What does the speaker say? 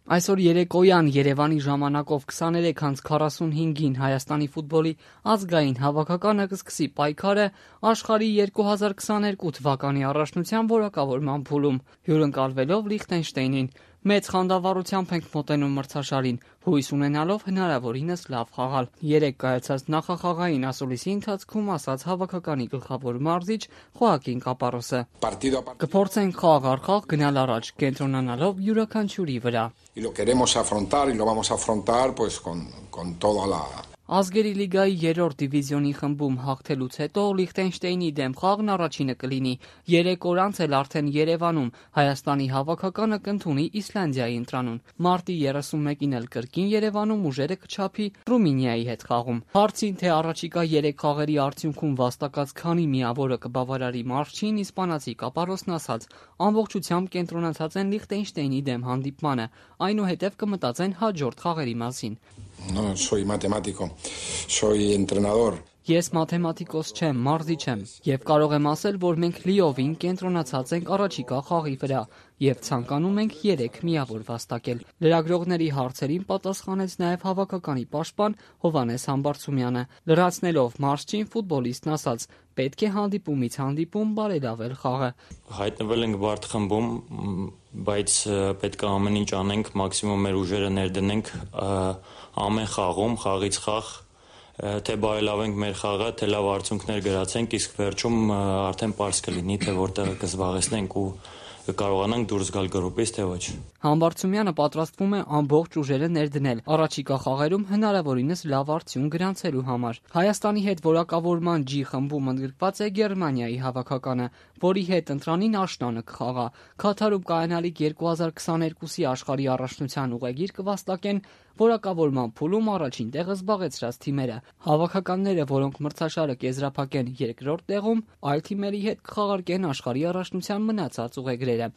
Այսօր երեկոյան Երևանի ժամանակով 23:45-ին Հայաստանի ֆուտբոլի ազգային հավաքականը կսկսի պայքարը աշխարհի 2022 թվականի առաջնության որակավորման փուլում, հյուրընկալվելով Լիխտենշտեյնին։ Մեծ խանդավառությամբ ենք մոտենում մրցաշարին, հույս ունենալով հնարավորինս լավ խաղալ։ Երեկ կայացած նախախաղային ասուլիսի ընթացքում ասաց հավաքականի գլխավոր մարզիչ Խոակին Կապարոսը. Կփորձենք խաղ առ խաղ գնալ առաջ, կենտրոնանալով յուրաքանչյուրի վրա։ Y lo queremos afrontar y lo vamos a afrontar pues con toda la... Ազգերի լիգայի 3-րդ դիվիզիոնի խմբում հաղթելուց հետո Լիխտենշտեյնի դեմ խաղն առաջինը կլինի։ 3 օր անց էլ արդեն Երևանում Հայաստանի հավաքականը կընդունի Իսլանդիայի ընտրանուն։ Մարտի 31-ին էլ կրկին Երևանում ուժերը կչափի Ռումինիայի հետ խաղում։ Հարցին, թե առաջիկա 3 խաղերի արդյունքում վաստակած քանի միավորը կբավարարի մարզչին, իսպանացի Կապարոսն ասաց. ամբողջությամբ կենտրոնացած են Լիխտենշտեյնի դեմ հանդիպմանը, այնուհետև կմտածեն հաջորդ խաղերի մասին։ No soy matemático, soy entrenador. Ես մաթեմատիկոս չեմ, մարզիչ եմ, եւ կարող եմ ասել, որ մենք լիովին կենտրոնացած ենք առաջիկա խաղի վրա եւ ցանկանում ենք 3 միավոր վաստակել։ Լրագրողների հարցերին պատասխանեց նաեւ հավաքականի պաշտպան Հովհաննես Համբարձումյանը։ Լրացնելով մարզչին, ֆուտբոլիստն ասաց. պետք է հանդիպումից հանդիպում բարելավել խաղը։ Հայտնվել ենք բարդ խմբում, բայց պետք է ամեն ինչ անենք, մաքսիմում մեր ուժերը ներդնենք ամեն խաղում, խաղից խաղ, թե բարելավենք մեր խաղը, թե լավ արդյունքներ գրացենք, իսկ վերջում արդեն պարզ կլինի, թե որտեղ կզբաղեցնենք ու կարողանանք դուրս գալ գրուպից, թե ոչ։ Համբարձումյանը պատրաստվում է ամբողջ ուժերը ներդնել առաջիկա խաղերում հնարավորինս լավ արդյունք գրանցելու համար։ Հայաստանի հետ որակավորման G խմբում ընդգրկված է Գերմանիայի հավաքականը, որի հետ ընտրանին աշնանը կխաղա։ Քաթարում կայանալիք 2022-ի աշխարհի առաջնության ուղեգիր կվաստակեն որակավորման փուլում առաջին տեղը զբաղեցրած թիմերը։ Հավաքականները, որոնք մրցաշարը կեզրափակեն 2-րդ տեղում, այլ թիմերի հետ կխաղարկեն աշխարհի առաջնության մնացած ուղեգրերը։